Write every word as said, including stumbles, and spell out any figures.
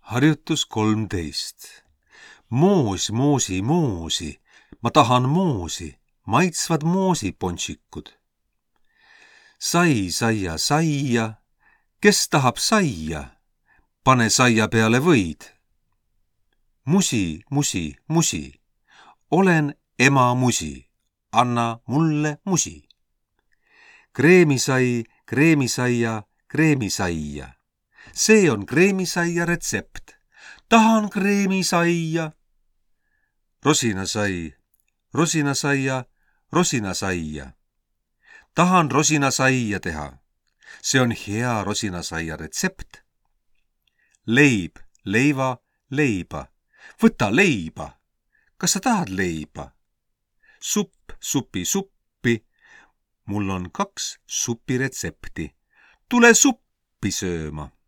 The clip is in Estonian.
Harjutus kolmteist. Moos, moosi, moosi. Ma tahan moosi. Maitsvad moosiponšikud. Sai, saia, saia. Kes tahab saia? Pane saia peale võid. Musi, musi, musi. Olen ema musi. Anna mulle musi. Kreemisai, kreemisaia, kreemisaia. See on kreemisaia retsept. Tahan kreemisaia. Rosinasai, rosinasaia, rosinasaia. Tahan rosinasaia teha. See on hea rosinasaia retsept. Leib, leiva, leiba. Võta leiba. Kas sa tahad leiba? Supp, supi, suppi. Mul on kaks supiretsepti. Tule suppi sööma.